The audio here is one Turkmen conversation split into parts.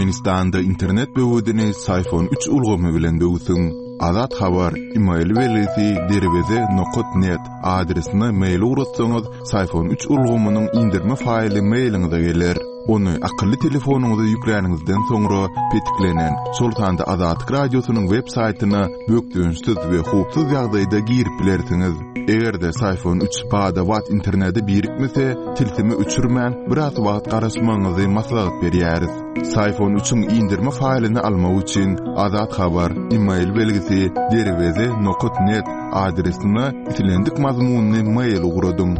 Türkmenistanda internet böwedini Syfon üç ulgamy bilen döwsüň. Azat Habar, email belgisi derweze nokat net adresine mail ugratsaňyz, Syfon üç ulgamynyň indirme faýly mailiňize geler. Ony akylly telefonyňyza ýükläniňizden soňra petiklenen, şol sanda Azatlyk Radiosynyň web saýtyna bökdençsiz we howpsuz ýagdaýda girip bilersiňiz. Eger-de Syfon üç bada-bat internete birikmese, tilsimi öçürmän, biraz wagt garaşmagyňyzy maslahat berýäris. Syfon üçiň indirme faýlyny almak üçin Azat Habar, email belgisi, derweze nokat net adresine islendik mazmunly mail ugradyň.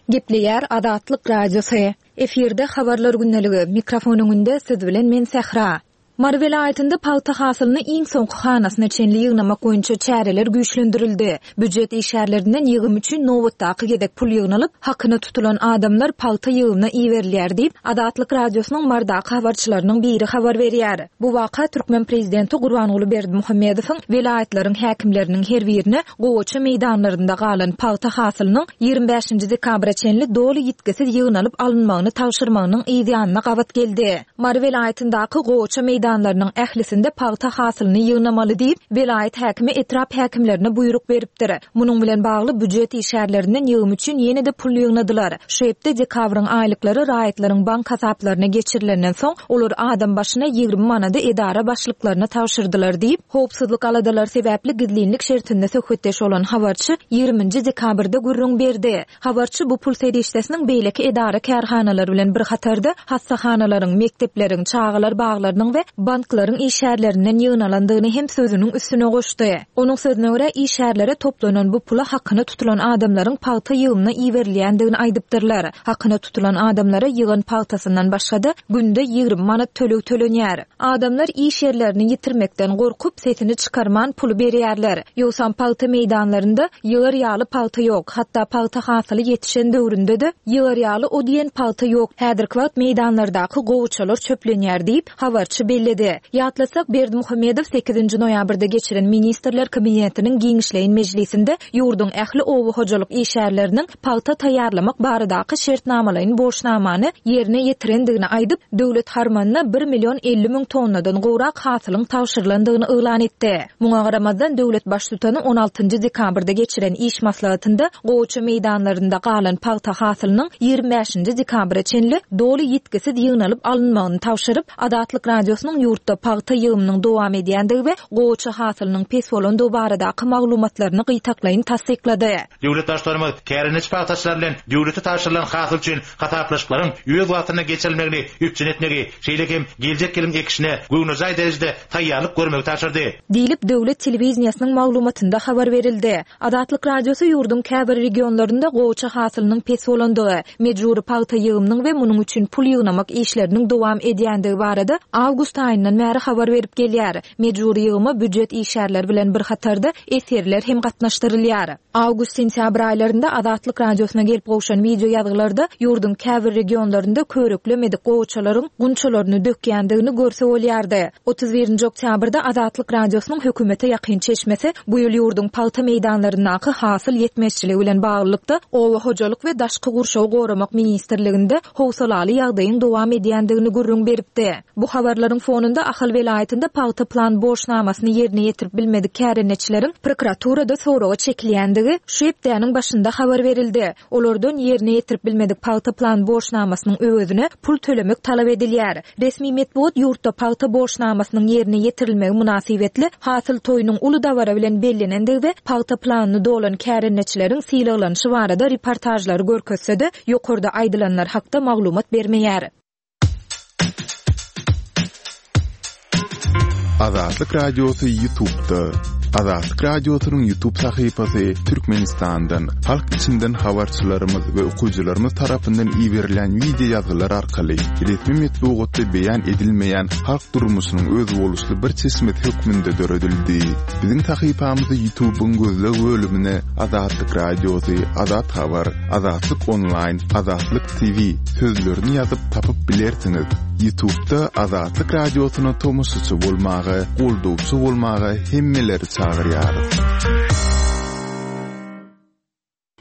Gepleýär Azatlyk Radiosy. Efirde Habarlar gündeligi, mikrofon öňünde siz bilen men Sähra. Mary welaýatynda pagta hasylyny iň soňky hanasyna çenli ýygnamak boýunça çäreler güýçlendirildi. Býujet işgärlerinden ýygym üçin nobatdaky gezek pul ýygnalyp, hakyna tutulan adamlar pagta ýygymyna iberilýär diýip, Azatlyk Radiosynyň Marydaky habarçylarynyň biri habar berýär. Bu waka türkmen prezidenti Gurbanguly Berdimuhamedowyň welaýatlaryň häkimleriniň her birine gowaça meýdanlarynda galan pagta hasylynyň 25-nji dekabra çenli doly ýitgisiz ýygnalyp alynmagyny tabşyrmagynyň yzýanyna gabat geldi. Mary welaýatyndaky gowaça meýdanlarynyň ählisinde pagta hasylyny ýygnamaly diýip, welaýat häkimi etrap häkimlerine buýruk beripdir. Munuň bilen bagly býujet işgärlerinden ýygym üçin ýene-de pul ýygnadylar. Şu hepde dekabryň aýlyklary raýatlaryň bank hasaplaryna geçirilenden soň, olar adam başyna 20 manady edara başlyklaryna tabşyrdylar diýip, howpsuzlyk aladalary sebäpli gizlinlik şertinde söhbetdeş bolan habarçy 20-nji dekabrda gürrüň berdi. Habarçy bu pul serişdesiniň beýleki edara-kärhanalar bilen bir hatarda hassahanalaryň, mekdepleriň, çagalar baglarynyň we banklaryň işgärlerinden ýygnalandygyny hem sözüniň üstüne goşdy. Onuň sözüne görä, işgärlere toplanan bu pula hakyna tutulan adamlaryň pagta ýygymyna iberilýändigini aýdypdyrlar. Hakyna tutulan adamlara ýygan pagtasyndan başga-da, günde 20 manat töleg tölenýär. Adamlar iş ýerlerini ýitirmekden gorkup, sesini çykarman puly berýärler. Ýogsam pagta meýdanlarynda ýygar ýaly pagta ýok. Hatda pagta hasyly ýetişen döwründe-de ýygar ýaly o diýen pagta ýok. Häzirki wagt meýdanlardaky gowaçalar çöplenýär diýip, habarçy belledi. Ýatlatsak, Berdimuhamedow sekizinji noýabrda geçiren Ministrler Kabinetiniň giňişleýin mejlisinde ýurduň ähli oba hojalyk işgärleriniň pagta taýýarlamak baradaky şertnamalaýyn borçnamany ýerine ýetirendigini aýdyp, döwlet harmanyna bir million 50 müň tonnadan gowrak hasylyň tabşyrylandygyny yglan etdi. Muňa garamazdan, döwlet Baştutany on altynjy dekabrda geçiren iş maslahatynda gowaça meýdanlarynda galan pagta hasylynyň ýigrimi bäşinji dekabra çenli doly ýitgisiz ýygnalyp alynmagyny tabşyryp, Azatlyk Radiosynyň ýurtda pagta ýygymynyň dowam edýändigi we gowaça hasylynyň pes bolandygy baradaky maglumatlaryny gytaklaýyn tassyklady. Döwlet Baştutanymyz kärendeçi pagtaçylar bilen döwlete tabşyrylan hasyl üçin hasaplaşyklaryň öz wagtynda geçirilmegini üpjün etmegi, şeýle hem geljek ýylyň ekişine göwnejaý derejede taýýarlyk görmegi tabşyrdy. Diýlip, döwlet telewideniýesiniň maglumatynda habar berildi. Azatlyk Radiosy ýurduň käbir regionlarynda gowaça hasylynyň pes bolandygy, mejbury pagta ýygymynyň we munuň üçin pul ýygnamak işleriniň dowam edýändigi barada awgust aýyndan bäri habar berip gelýär. Mejbury ýygyma býujet işgärleri bilen bir hatarda esgerler hem gatnaşdyrylýar. Awgust-sentýabr aýlarynda Azatlyk Radiosyna gelip gowşan wideo ýazgylarda ýurduň käbir regionlarynda körüklemedik gowaçalaryň gunçalaryny dökýändigini görse bolýardy. 31-nji oktýabrda Azatlyk Radiosynyň hökümete ýakyn çeşmesi bu ýyl ýurduň pagta meýdanlaryndaky hasyl ýetmezçiligi bilen baglylykda Oba hojalyk we daşky gurşawy goramak ministrliginde howsalaly ýagdaýyň dowam edýändigini gürrüň beripdi. Bu habarlaryň fonunda Ahal welaýatynda pagta plan borçnamasyny ýerine ýetirip bilmedik kärendeçileriň prokuraturada soraga çekilýändigi şu hepdäniň başynda habar berildi. Olardan ýerine ýetirip bilmedik pagta plan borçnamasynyň öwezine pul tölemek talap edilýär. Resmi metbugat ýurtda pagta borçnamasynyň ýerine ýetirilmegi mynasybetli hasyl toýunyň uly dabara bilen bellenendigi we pagta planyny dolan kärendeçileriň sylaglanyşy barada reportažlary görkezse-de, ýokarda aýdylanlar hakda maglumat bermeýär. Azatlyk Radiosy YouTube'da. Azatlyk Radiosynyň YouTube sahypasy Türkmenistandan, halk içinden habarçylarymyz we okyjylarymyz tarapyndan iberilen wideo ýazgylar arkaly resmi metbugatda beýan edilmeýän halk durmuşynyň özboluşly bir çeşmesi hökmünde döredildi. Biziň sahypamyzy YouTube'yň gözleg bölümine Azatlyk Radiosy, Azat Habar, Azatlyk Onlaýn, Azatlyk TV sözlerini ýazyp tapyp bilersiňiz. Ýutubda Azatlyk Radiosyna tomaşaçy bolmaga, goldawçy bolmaga hemmeleri çagyrýarys.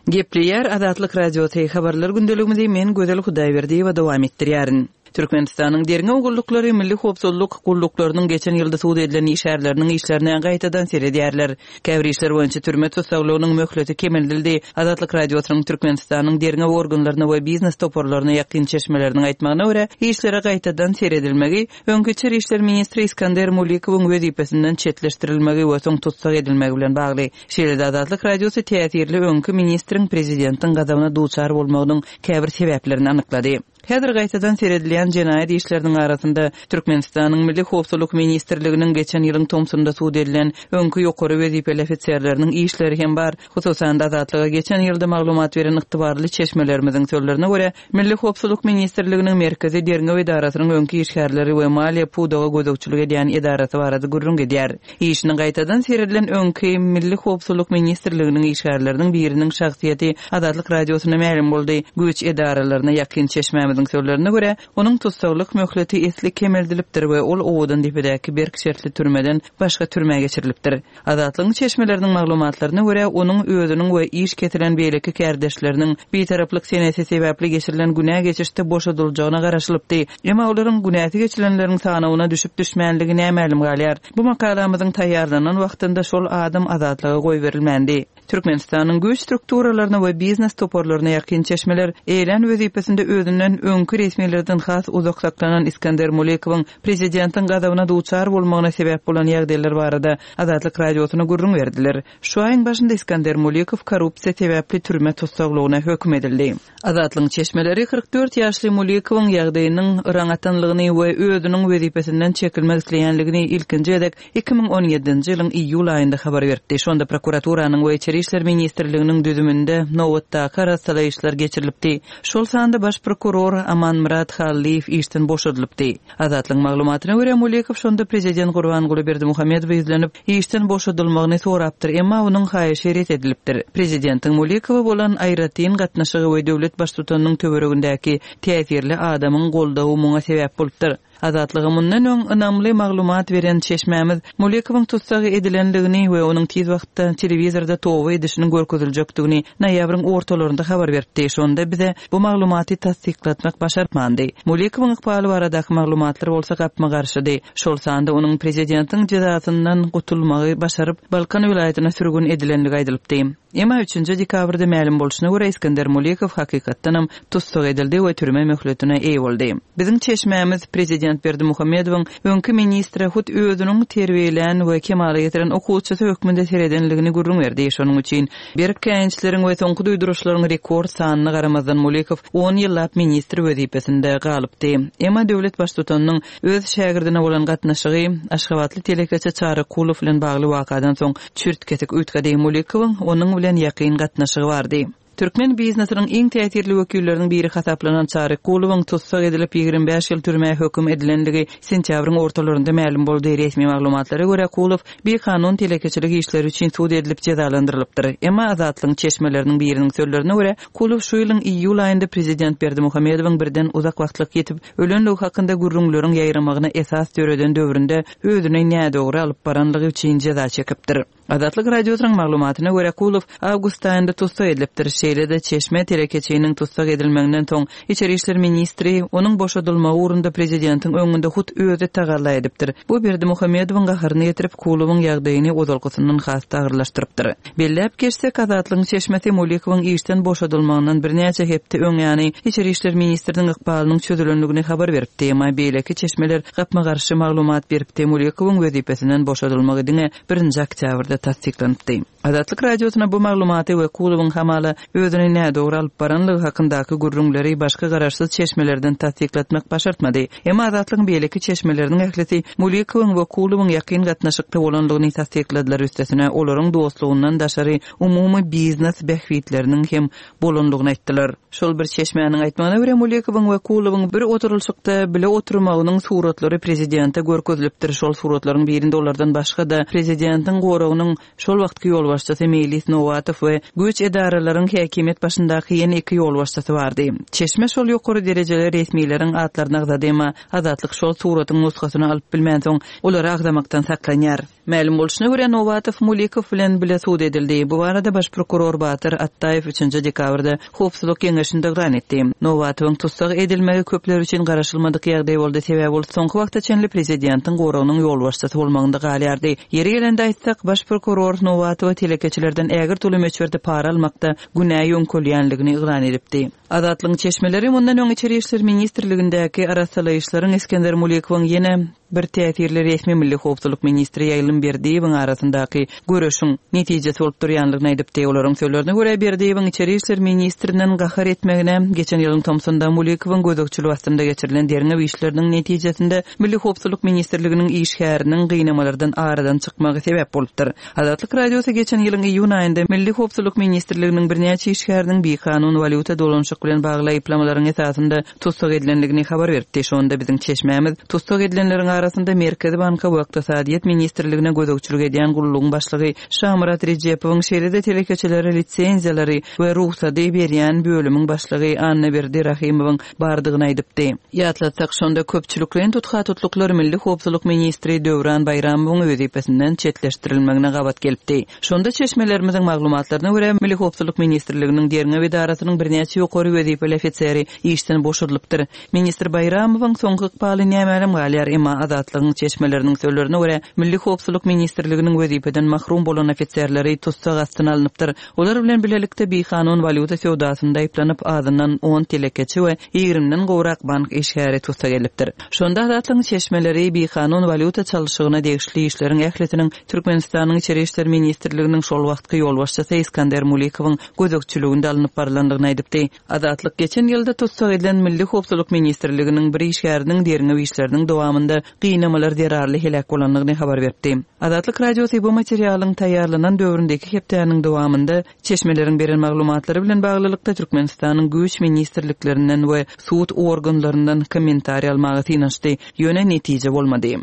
Gepleýär Azatlyk Radiosy, Habarlar gündeligimizi men Gözel Hudaýberdiýewa dowam etdirýärin. Türkmenistanyň derňew gulluklary milli howpsuzlyk gulluklarynyň geçen ýylda sud edilen işgärleriniň işlerine gaýtadan seredýärler. Käbir işler boýunça türme tussaglygynyň möhleti kemeldildi. Azatlyk Radiosynyň Türkmenistanyň derňew organlaryna we biznes toparlaryna ýakyn çeşmeleriniň aýtmagyna görä, işlere gaýtadan seredilmegi Öňki içeri işler ministri Iskander Mulikowyň wezipesinden çetleşdirilmegi we soň tussag edilmegi bilen bagly. Şeýle-de Azatlyk Radiosy täsirli öňki ministriň prezidentiň gazabyna duçar bolmagynyň käbir sebäplerini anyklady. Häzir gaýtadan seredilýän jenaýat işleriniň arasynda Türkmenistanyň Milli howpsuzlyk ministrliginiň geçen ýylyň tomsunda sud edilen öňki ýokary wezipeli ofiserleriniň işleri hem bar. Hususan-da, Azatlyga geçen ýylda maglumat beren ygtybarly çeşmelerimiziň sözlerine görä, Milli howpsuzlyk ministrliginiň Merkezi derňew edarasynyň öňki işgärleri we maliýe pudaga gözegçilik edýän edarasy barada gürrüň gidýär. Işine gaýtadan seredilen öňki Milli howpsuzlyk ministrliginiň işgärleriniň biriniň şahsyýeti Azatlyk Radiosyna mälim boldy. Güýç edaralaryna ýakyn çeşmämiziň sözlerine görä, onuň tussaglyk möhleti esli kemeldilipdir we ol Owadandepedäki berk şertli türmeden başga türmä geçirilipdir. Azatlygyň çeşmeleriniň maglumatlaryna görä, onuň özüniň we iş kesilen beýleki kärdeşleriniň bitaraplyk senesi sebäpli geçirilen günä geçişde boşadyljagyna garaşylypdy. Emma olaryň günäsi geçilenleriň sanawyna düşüp-düşmänligi nämälim galýar. Bu makalamyzyň taýýarlanan wagtynda şol adam azatlyga goýberilmändi. Türkmenistanyň güýç strukturalaryna we biznes toparlaryna ýakyn çeşmeler eýlän wezipesinde özünden öňki resmilerden has uzak saklanan Iskender Mulikowyň prezidentiň gazabyna duçar bolmagyna sebäp bolan ýagdaýlar barada Azatlyk Radiosyna gürrüň berdiler. Şu aýyň başynda Iskender Mulikow korrupsiýa sebäpli türme tussaglygyna höküm edildi. Azatlygyň çeşmeleri 44 ýaşly Mulikowyň ýagdaýynyň yraň atanlygyny we özüniň wezipesinden çekilmek isleýänligini ilkinji gezek 2017-nji ýylyň iýul aýynda habar beripdi. Şonda prokuraturanyň we Içeri işler ministrliginiň düzüminde nobatdaky arassalaýyşlar geçirilipdi. Şol sanda baş prokuror Amanmyrat Hallyýew işden boşadylypdy. Azatlygyň maglumatyna görä, Mulikow şonda prezident Gurbanguly Berdimuhamedowa ýüzlenip, işden boşadylmagyny sorapdyr, emma onuň haýyşy ret edilipdir. Prezidentiň Mulikowa bolan aýratyn gatnaşygy we döwlet baştutanynyň töweregindäki täsirli adamyň goldawy muňa sebäp bolupdyr. Azatlyga mundan öň ynamly maglumat beren çeşmämiz Mulikowyň tussag edilendigini we onuň tiz wagtda telewizorda toba edişiniň görkeziljekdigini noýabryň ortalarynda habar beripdi. Şonda bize bu maglumaty tassyklatmak başartmandy. Mulikowyň ykbaly baradaky maglumatlar bolsa gapma-garşydy. Şol sanda onuň prezidentiň jezasyndan gutulmagy başaryp, Balkan welaýatyna sürgün edilendigi aýdylypdy. Emma üçünji dekabrda mälim bolşuna görä, Iskender Mulikow hakykatdanam tussag edildi we türme möhletine eýe boldy. Biziň çeşmämiz prezident Berdimuhamedowyň öňki ministre hut özüniň terbiýelän we kemala getiren okuwçysy hökmünde seredenligini gürrüň berdi. Şonuň üçin berk käýinçleriň we soňky duýduryşlaryň rekord sanyna garamazdan Mulikow on ýyllap ministr wezipesinde galypdy. Emma döwlet baştutanynyň öz şägirdine bolan gatnaşygy aşgabatly telekeçi Çary Kulow bilen bagly wakadan soň çürt-kesik üýtgedi. Mulikowyň onuň bilen ýakyn gatnaşygy bardy. Türkmen biznesiniň iň täsirli wekilleriniň biri hasaplanan Çary Kulowyň tussag edilip, 25 ýyl türmä höküm edilendigi sentýabryň ortalarynda mälim boldy. Resmi maglumatlara görä, Kulow bikanun telekeçilik işleri üçin sud edilip jezalandyrylypdyr. Emma Azatlygyň çeşmeleriniň biriniň sözlerine görä, Kulow şu ýylyň iýul aýynda prezident Berdimuhamedowyň birden uzak wagtlyk ýitip ölenligi hakynda gürrüňleriň ýaýramagyna esas döreden döwründe özüni nädogry alyp baranlygy üçin jeza çekipdir. Azatlyk Radiosynyň maglumatyna görä, Kulow awgust aýynda tussag edilipdir. Şeýle-de, çeşme telekeçiniň tussag edilmeginden soň, içeri işler ministri onuň boşadylmagy ugrunda prezidentiň öňünde hut özi tagalla edipdir. Bu Berdimuhamedowyň gaharyny getirip, Kulowyň ýagdaýyny ozalkysyndan has-da agyrlaşdyrypdyr. Belläp geçsek, Azatlygyň çeşmesi Mulikowyň işden boşadylmagyndan birnäçe hepde öň ýany içeri işler ministriniň ykbalynyň çözülendigini habar beripdi. Emma beýleki çeşmeler gapma-garşy maglumat beripdi, Mulikowyň wezipesinden boşadylmagy diňe birinji oktýabrda tassyklanypdy. Azatlyk Radiosyna bu maglumaty we Kulowyň hamala özüni nädogry alyp baranlygy hakyndaky gürrüňleri başga garaşsyz çeşmelerden tassyklatmak başartmady. Emma Azatlygyň beýleki çeşmeleriniň ählisi Mulikowyň we Kulowyň ýakyn gatnaşykda bolandygyny tassykladylar, üstesine olaryň dostlugyndan daşary umumy biznes bähbitleriniň hem bolandygyny aýtdylar. Şol bir çeşmäniň aýtmagyna görä, Mulikowyň we Kulowyň bir oturylyşykda bile oturmagynyň suratlary prezidente görkezilipdir. Şol suratlaryň birinde olardan başga-da, prezidentiň goragynyň şol wagtky ýolbaşçysy Meýlis Nowatow we güýç edaralaryň. häkimiýet başyndaky ýene iki ýolbaşçysy bardy. Çeşme şol ýokary derejeli resmileriň atlaryny agzady, emma Azatlyk şol suratyň nusgasyny alyp bilmänsoň, olary agzamakdan saklanýar. Mälim bolşuna görä, Nowatow Mulikow bilen bile sud edildi. Bu barada baş prokuror Batyr Atdaýew üçünji dekabrda Howpsuzlyk geňeşinde yglan etdi. Nowatowyň tussag edilmegi köpler üçin garaşylmadyk ýagdaý boldy, sebäbi ol soňky wagta çenli prezidentiň goragynyň ýolbaşçysy bolmagynda galýardy. Ýeri gelende aýtsak, baş prokuror Nowatowa telekeçilerden ägirt uly möçberde para almakda günä ýöňkelýänligini yglan edipdi. Azatlygyň çeşmeleri mundan öň Içeri işler ministrligindäki arassalaýyşlaryň Isgender Mulikowyň ýene bir täsirli resmi Milli howpsuzlyk ministri Ýaýlym Berdiýewiň arasyndaky göreşiň netijesi bolup durýanlygyny aýdypdy. Olaryň sözlerine görä, Berdiýewiň içeri işler ministrinden gahar etmegine geçen ýylyň tomsunda Mulikowyň gözegçiligi astynda geçirilen derňew işleriniň netijesinde Milli howpsuzlyk ministrliginiň işgäriniň gynamalardan aradan çykmagy sebäp bolupdyr. Azatlyk Radiosy geçen ýylyň iýun aýynda Milli howpsuzlyk ministrliginiň birnäçe işgäriniň bikanun walýuta dolanyşyk bilen bagly aýyplamalaryň esasynda tussag edilendigini habar beripdi. Şonda biziň çeşmämiz tussag edilenleriň arasynda Merkezi banka we Ykdysadyýet ministrligine gözegçilik edýän gullugyň başlygy Şamyrat Rejepowyň, şeýle-de telekeçilere lisenziýalary we rugsady berýän bölümiň başlygy Annaberdi Rahymowyň bardygyny aýdypdy. Ýatlatsak, şonda köpçülikleýin tutha-tutluklar Milli howpsuzlyk ministri Döwran Baýramowyň wezipesinden çetleşdirilmegine gabat gelipdi. Şonda çeşmelerimiziň maglumatlaryna görä, Milli howpsuzlyk ministrliginiň derňew edarasynyň birnäçe ýokary wezipeli ofiseri işden boşadylypdyr. Ministr Baýramowyň soňky ykbaly nämälim galýar, emma Azatlygyň çeşmeleriniň sözlerine görä, Milli howpsuzlyk ministrliginiň wezipeden mahrum bolan ofiserleri tussag astyna alnypdyr. Olar bilen bilelikde bikanun walýuta söwdasynda aýyplanyp, azyndan on telekeçi we ýigrimiden gowrak bank işgäri tussag edilipdir. Şonda Azatlygyň çeşmeleri bikanun walýuta çalşygyna degişli işleriň ählisiniň Türkmenistanyň Içeri işler ministrliginiň şol wagtky ýolbaşçysy Iskander Mulikowyň gözegçiliginde alnyp barylandygyny aýdypdy. Azatlyk geçen ýylda tussag edilen Milli howpsuzlyk ministrliginiň bir işgäriniň derňew işleriniň dowamynda gynamalar zerarly heläk bolandygyny habar beripdi. Azatlyk Radiosy bu materialyň taýýarlanan döwründe iki hepdäniň dowamynda çeşmeleriň beren maglumatlary bilen baglylykda Türkmenistanyň güýç ministrliklerinden we sud organlaryndan kommentariý almaga synanyşdy, ýöne netije bolmady.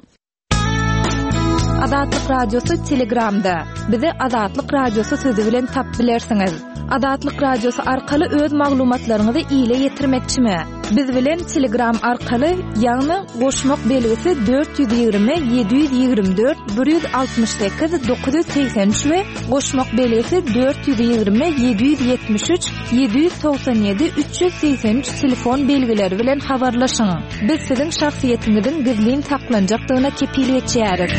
Azatlyk Radiosy Telegramda. Bizi Azatlyk Radiosy sözi bilen tap bilersiňiz. Azatlyk Radiosy arkaly öz maglumatlaryňyzy ile ýetirmekçimi? Biz bilen Telegram arkaly, ýagny goşmak belgisi 420 724 168 983 we goşmak belgisi 420 773 797 383 telefon belgileri bilen habarlaşyň. Biz siziň şahsyýetiňiziň gizlin saklanjakdygyna kepil geçýäris.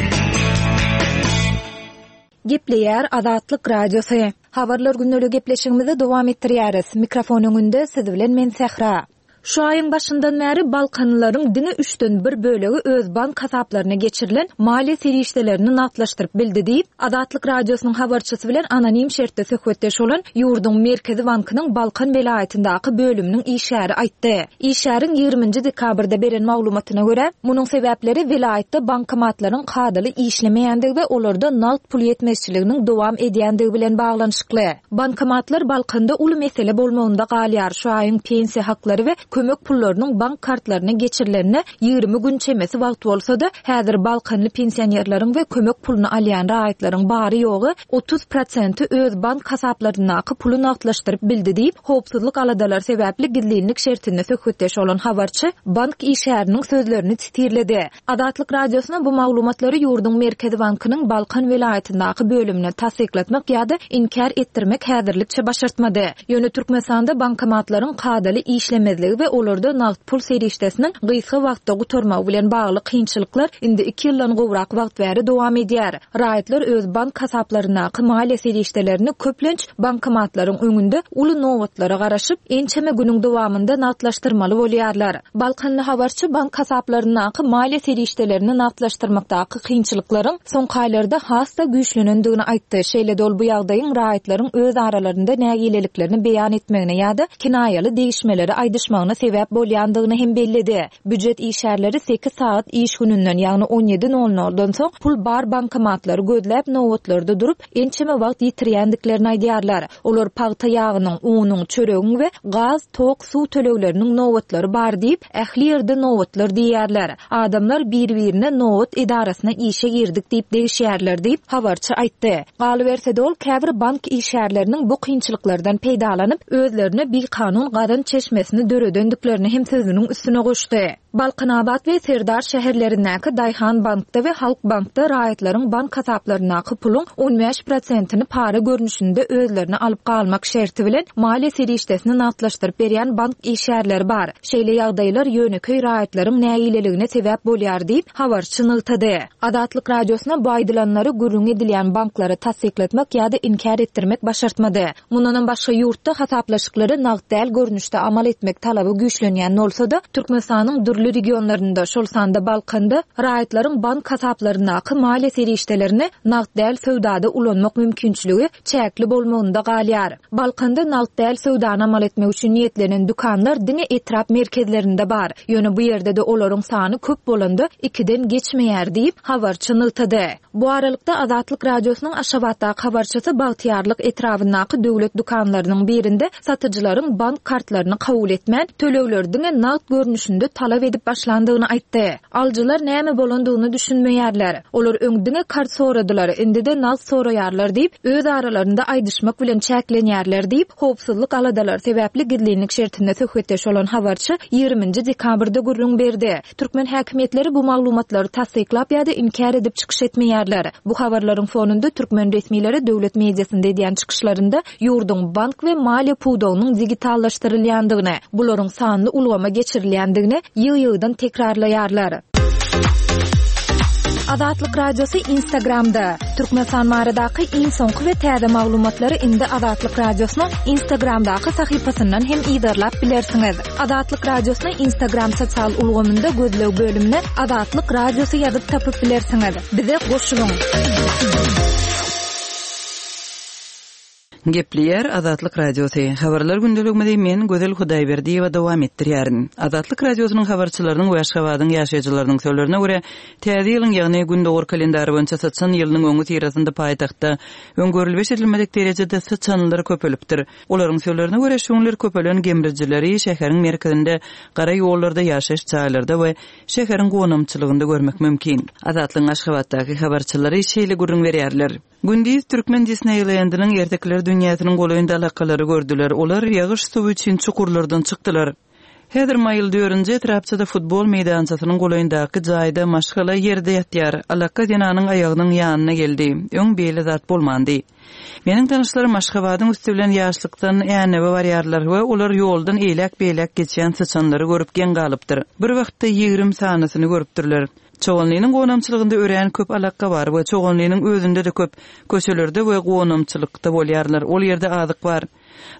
Gepleýär Azatlyk Radiosy. Habarlar gündeligi gepleşigimizi dowam etdirýäris. Mikrofon öňünde siz bilen men Sähra. Şu aýyň başyndan bäri balkanlylaryň diňe üçden bir bölegi öz bank hasaplaryna geçirilen maliýe serişdelerini nagtlaşdyryp bildi diýip, Azatlyk Radiosynyň habarçysy bilen anonim şertde söhbetdeş bolan ýurduň Merkezi bankynyň Balkan welaýatyndaky bölüminiň işgäri aýtdy. Işgäriň ýigriminji dekabrda beren maglumatyna görä, munuň sebäpleri welaýatda bankomatlaryň kadaly işlemeýändigi we olarda nagt pul ýetmezçiliginiň dowam edýändigi bilen baglanyşykly. Bankomatlar Balkanda uly mesele bolmagynda galýar, şu aýyň pensiýa haklary we kömek pullarynyň bank kartlaryna geçirilenine 20 gün çemesi wagt bolsa-da, häzir balkanly pensionerleriň we kömek puluny alýan raýatlaryň bary-ýogy 30 prosenti öz bank hasaplaryndaky puly nagtlaşdyryp bildi diýip, howpsuzlyk aladalary sebäpli gizlinlik şertinde söhbetdeş bolan habarçy bank işgäriniň sözlerini sitirledi. Azatlyk Radiosyna bu maglumatlary ýurduň Merkezi bankynyň Balkan welaýatyndaky bölümine tassyklatmak ýa-da inkär etdirmek häzirlikçe başartmady. Ýöne Türkmenistanda bankomatlaryň kadaly işlemezligi we olarda nagt pul serişdesiniň gysga wagtda gutarmagy bilen bagly kynçylyklar indi iki ýyldan gowrak wagt bäri dowam edýär. Raýatlar öz bank hasaplaryndaky maliýe serişdelerini köplenç bankomatlaryň öňünde uly nobatlara garaşyp, ençeme günüň dowamynda nagtlaşdyrmaly bolýarlar. Balkanly habarçy bank hasaplaryndaky maliýe serişdelerini nagtlaşdyrmakdaky kynçylyklaryň soňky aýlarda has-da güýçlenendigini aýtdy. Şeýle-de ol bu ýagdaýyň raýatlaryň öz aralarynda nägileliklerini beýan etmegine ýa-da kinaýaly degişmeleri aýdyşmagyna. kynçylygyna sebäp bolýandygyny hem belledi. Býujet işgärleri sekiz sagat iş gününden, ýagny on ýedi nol noldan soň pul bar bankomatlary gözläp, nobatlarda durup, ençeme wagt ýitirýändiklerini aýdýarlar. Olar pagta ýagynyň, unuň, çöregiň we gaz, tok, suw tölegleriniň nobatlary bar diýip, ähli ýerde nobatlar diýýärler. Adamlar bir-birine nobat edarasyna işe girdik diýip degişýärler diýip, habarçy aýtdy. Galyberse-de, ol käbir bank işgärleriniň bu kynçylyklardan peýdalanyp, özlerine bikanun gazanç çeşmesini döredendiklerini hem sözüniň üstüne goşdy. Balkanabat we Serdar şäherlerindäki Daýhan bankda we Halk bankda raýatlaryň bank hasaplaryndaky puluň 15 prosentini para görnüşinde özlerine alyp galmak şerti bilen maliýe serişdesini nagtlaşdyryp berýän bank işgärleri bar. Şeýle ýagdaýlar ýönekeý raýatlaryň nägileligine sebäp bolýar diýip, habarçy nygtady. Azatlyk Radiosyna bu aýdylanlary gürrüňi edilýän banklara tassyklatmak ýa-da inkär etdirmek başartmady. Mundanam başga ýurtda hasaplaşyklary nagt däl görnüşde amal etmek talaby güýçlenýän bolsa-da, Türkmenistanyň dürli regionlarynda, şol sanda Balkanda raýatlaryň bank hasaplaryndaky maliýe serişdelerini nagt däl söwdada ulanmak mümkinçiligi çäkli bolmagynda galýar. Balkanda nagt däl söwdany amal etmek üçin niýetlenen dükanlar diňe etrap merkezlerinde bar. Ýöne bu ýerde-de olaryň sany köp bolanda ikiden geçmeýär diýip, habarçy nygtady. Bu aralykda, Azatlyk Radiosynyň Aşgabatdaky habarçysy Bagtyýarlyk etrabyndaky döwlet dükanlarynyň birinde satyjylaryň bank kartlaryny kabul etmän, tölegleri diňe nagt görnüşinde talap edip başlandygyny aýtdy. Alyjylar näme bolandygyna düşünmeýärler. Olar öň diňe kart soradylar, indi-de nagt soraýarlar diýip, öz aralarynda aýdyşmak bilen çäklenýärler diýip, howpsuzlyk aladalary sebäpli gizlinlik şertinde söhbetdeş bolan habarçy ýigriminji dekabrda gürrüň berdi. Türkmen häkimiýetleri bu maglumatlary tassyklap ýa-da inkär edip çykyş etmeýärler. Bu habarlaryň fonunda türkmen resmileri döwlet mediasynda edýän çykyşlarynda ýurduň bank we maliýe pudagynyň digitallaşdyrylýandygyny, bularyň sanly ulgama geçirilýändigini ýygy-ýygydan tekrarlaýarlar. Azatlyk Radiosy Instagramda, Türkmenistan baradaky iň soňky we täze maglumatlary indi Azatlyk Radiosynyň Instagramdaky sahypasyndan hem yzarlap bilersiňiz. Azatlyk Radiosyny Instagram sosial ulgamynda gözleg bölümine Azatlyk Radiosy ýazyp tapyp bilersiňiz. Bize goşulyň! Gepleýär Azatlyk Radiosy. Habarlar gündeligimizi men, Gözel Hudaýberdiýewa dowam etdirýärin. Azatlyk Radiosynyň habarçylarynyň we Aşgabadyň ýaşaýjylarynyň sözlerine görä, Täze ýylyň, ýagny Gündogar kalendary boýunça syçan ýylynyň öňüsyrasynda paýtagtda öň görülip-eşidilmedik derejede syçanlar köpelipdir. Olaryň sözlerine görä, şu günler köpelen gemrijileri şäheriň merkezinde, gara ýollarda, ýaşaýyş jaýlarda we şäheriň gonamçylygynda görmek mümkin. Azatlygyň Aşgabatdaky habarçylary şeýle gürrüň berýärler. Gündiz türkmen Disneýlendiniň ertekiler dünýäsiniň golaýynda alakalary gördüler. Olar ýagyş suwy üçin çukurlardan çykdylar. Häzir Maýyl dördünji etrapçada futbol meýdançasynyň golaýyndaky jaýda maşgala ýerde ýatýar. Alaka zenanyň aýagynyň ýanyna geldi. Öň beýle zat bolmandy. Meniň tanyşlarym Aşgabadyň üsti bilen Ýaşlykdan Änewe barýarlar we olar ýoldan eýläk-beýläk geçýän syçanlary görüp geň galypdyr. Bir wagtda 20 sanysyny görüpdirler. Çoganlynyň gonamçylygynda örän köp alaka bar we Çoganlynyň özünde-de köp. Köçelerde we gonamçylykda bolýarlar. Ol ýerde azyk bar.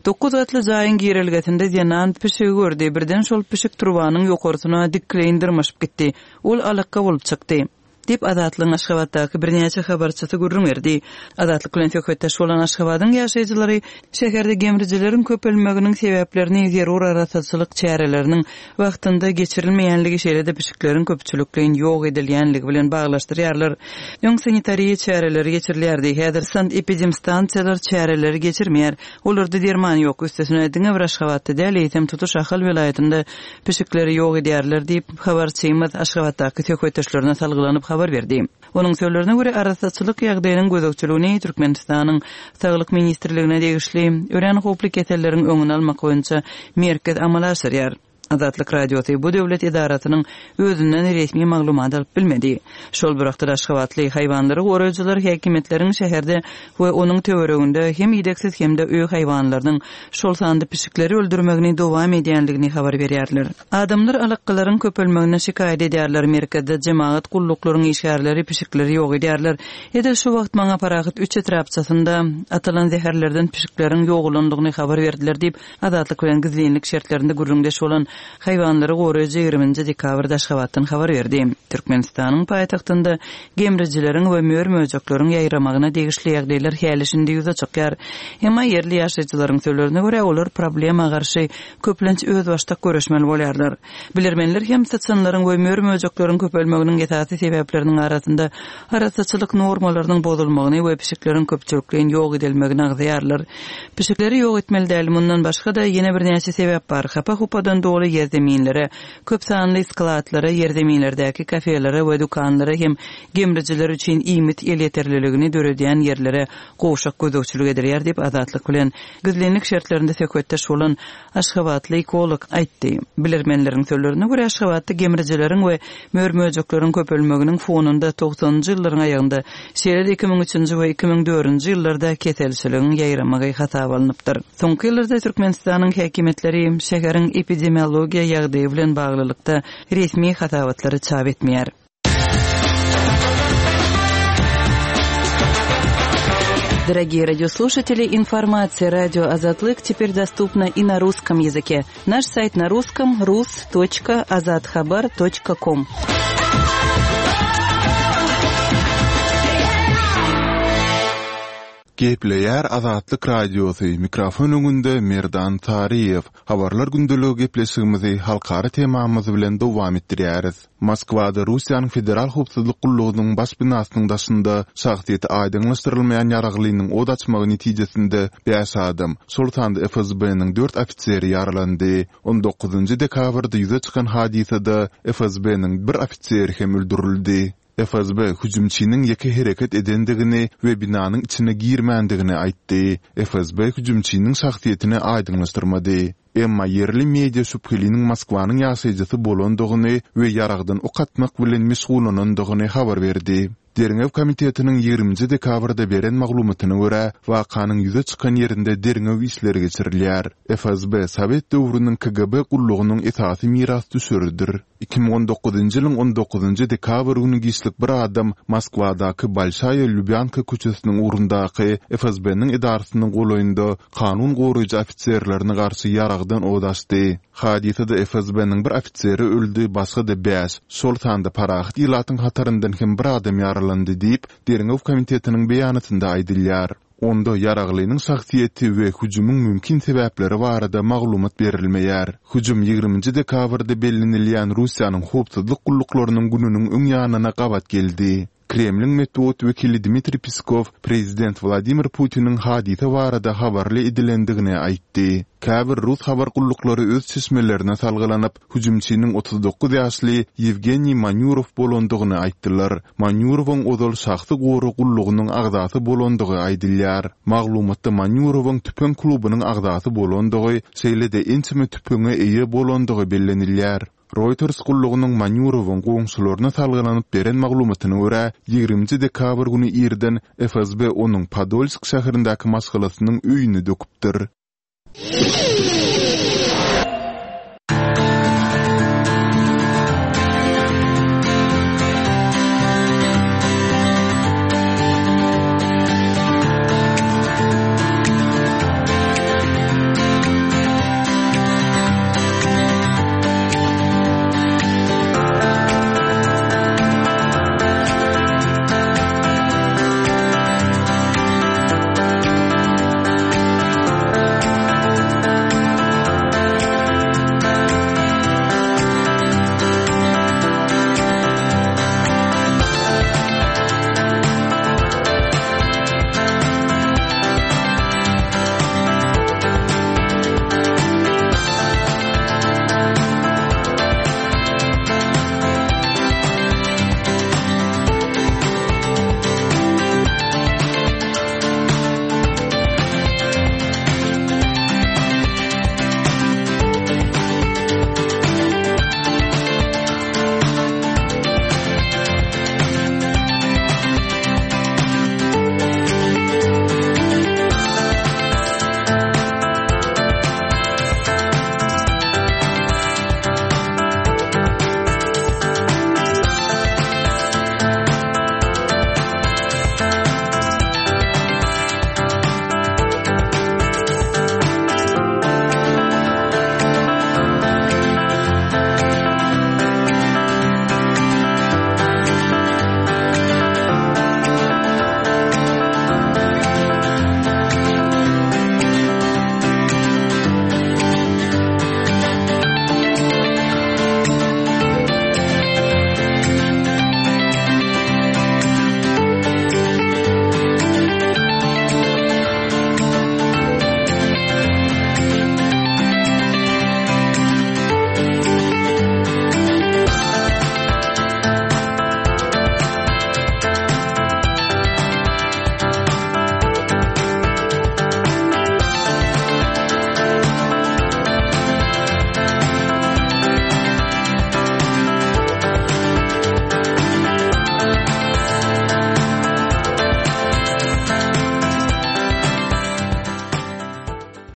Dokuz gatly jaýyň girelgesinde zenan pişigi gördi. Birden şol pişik turbanyň ýokarsyna dikleýin dyrmaşyp gitdi. Ol alakga bolup çykdy. Diýip, Azatlygyň Aşgabatdaky birnäçe habarçysy gürrüň berdi. Azatlyk bilen söhbetdeş bolan Aşgabadyň ýaşaýjylary şäherde gemrijileriň köpelmeginiň sebäplerini zerur arassaçylyk çäreleriniň wagtynda geçirilmeýänligi, şeýle-de pişikleriň köpçülikleýin ýok edilýänligi bilen baglaşdyrýarlar. Öň sanitariýa çäreleri geçirilýärdi, häzir sanepidemstansiýalar çäreleri geçirmeýär. Olarda derman ýok. Üstesine, diňe bir Aşgabatda däl, eýsem tutuş Ahal welaýatynda pişikleri ýok edýärler diýip, habarçymyz Aşgabatdaky söhbetdeşlerine salgylanyp habar berdi. Onuň sözlerine görä, arassaçylyk ýagdaýynyň gözegçiligini Türkmenistanyň Saglyk ministrligine degişli Örän howply keselleriň öňüni almak boýunça merkez amala aşyrýar. Azatlyk Radiosy bu döwlet edarasynyň özünden resmi maglumat alyp bilmedi. Şol bir wagtda-da aşgabatly haýwanlary goraýjylar häkimiýetleriň şäherde we onuň töwereginde hem idegsiz hem-de öý haýwanlarynyň, şol sanda pişikleri öldürmegini dowam edýändigini habar berýärler. Adamlar alakgalaryň köpelmeginden şikaýat edýärler, merkezde jemagat gulluklaryň işgärleri pişikleri ýok edýärler. Edil şu wagt maňa Parahat üç etrapçasynda atylan zäherlerden pişikleriň ýogalandygyny habar berdiler diýip, Azatlyk bilen gizlinlik şertlerinde gürrüňdeş bolan. haýwanlary goraýjy ýigriminji dekabrda Aşgabatdan habar berdi. Türkmenistanyň paýtagtynda gemrijileriň we mör-möjekleriň ýaýramagyna degişli ýagdaýlar häli-şindi ýüze çykýar. Emma ýerli ýaşaýjylaryň sözlerine görä, olar problema garşy köplenç özbaşdak göreşmeli bolýarlar. Bilermenler hem syçanlaryň we mör-möjekleriň köpelmeginiň esasy sebäpleriniň arasynda arassaçylyk normalarynyň bozulmagyny we pişikleriň köpçülikleýin ýok edilmegini agzaýarlar. Pişikleri ýok etmeli däl, mundan başga-da ýene birnäçe sebäp bar, hapa-hupadan doly ýerzeminlere, köp sanly skladlara, ýerzeminlerdäki kafelere we dükanlara hem gemrijiler üçin iýmit elýeterliligini döredýän ýerlere gowşak gözegçilik edilýär diýip, Azatlyk bilen gizlinlik şertlerinde söhbetdeş bolan Aşgabatly ekolog aýtdy. Bilermenleriň sözlerine görä, Aşgabatda gemrijileriň we mör-möjekleriň köpelmeginiň fonunda togsanynjy ýyllaryň aýagynda, şeýle-de 2003-nji we 2004-nji ýyllarda keselçiligiň ýaýramagy hasaba alnypdyr. Soňky ýyllarda Türkmenistanyň häkimiýetleri şäheriň epidemiologiýa ýagdaýy bilen baglylykda resmi hasabatlary çap etmeýär. Дорогие радиослушатели, информация радио Азатлык теперь доступна и на русском языке. Наш сайт на русском rus.azathabar.com. Gepleýär Azatlyk Radiosy, mikrofon öňünde Merdan Taryýew. Habarlar gündeligi gepleşigimizi halkara temamyz bilen dowam etdirýäris. Moskwada Russiýanyň Federal howpsuzlyk gullugynyň baş binasynyň daşynda şahsyýeti aýdyňlaşdyrylmaýan ýaraglynyň ot açmagy netijesinde bäş adam, şol sanda FSB-niň dört ofiseri ýaralandy. On dokuzynjy dekabrda ýüze çykan hadysada FSB-niň bir ofiseri hem öldürildi. FSB hüjümçiniň ýeke hereket edendigini we binanyň içine girmändigini aýtdy. FSB hüjümçiniň şahsyýetini aýdyňlaşdyrmady. Emma ýerli media şübheliniň Moskwanyň ýaşaýjysy bolandygyny we ýaragdan ok atmak bilen meşgullanandygyny habar berdi. Derňew komitetiniň ýigriminji dekabrda beren maglumatyna görä, wakanyň ýüze çykan ýerinde derňew işleri geçirilýär. FSB sowet döwrüniň KGB gullugynyň esasy mirasdüşeridir. 2019-njy ýylyň on dokuzynjy dekabr güni giçlik bir adam Moskwadaky Bolşaýa Lubýanka köçesiniň ugrundaky FSB-niň edarasynyň golaýynda kanun goraýjy ofiserlerine garşy ýaragdan ot açdy. Hadysada FSB-niň bir ofiseri öldi, başga-da bäş, şol sanda parahat ilatyň hataryndan hem bir adam ýaralandy diýip, Derňew komitetiniň beýanatynda aýdylýar. Onda ýaraglynyň şahsyýeti we hüjümiň mümkin sebäpleri barada maglumat berilmeýär. Hüjüm ýigriminji dekabrda bellenilýän Russiýanyň howpsuzlyk gulluklarynyň gününiň öň ýanyna gabat geldi. Kremliň metbugat wekili Dmitriý Peskow prezident Wladimir Putiniň hadysa barada habarly edilendigini aýtdy. Käbir rus habar gulluklary öz çeşmelerine salgylanyp, hüjümçiniň 39 ýaşly Ýewgeniý Manýurow bolandygyny aýtdylar. Manýurowyň ozal şahsy gorag gullugynyň agzasy bolandygy aýdylýar. Maglumatda Manýurowyň tüpeň klubunyň agzasy bolandygy, şeýle-de ençeme tüpeňe eýe bolandygy bellenilýär. Reuters gullugynyň Manýurowyň goňşularyna salgylanyp beren maglumatyna görä, ýigriminji dekabr güni irden FSB onuň Podolsk şäherindäki maşgalasynyň öýüni döküpdir.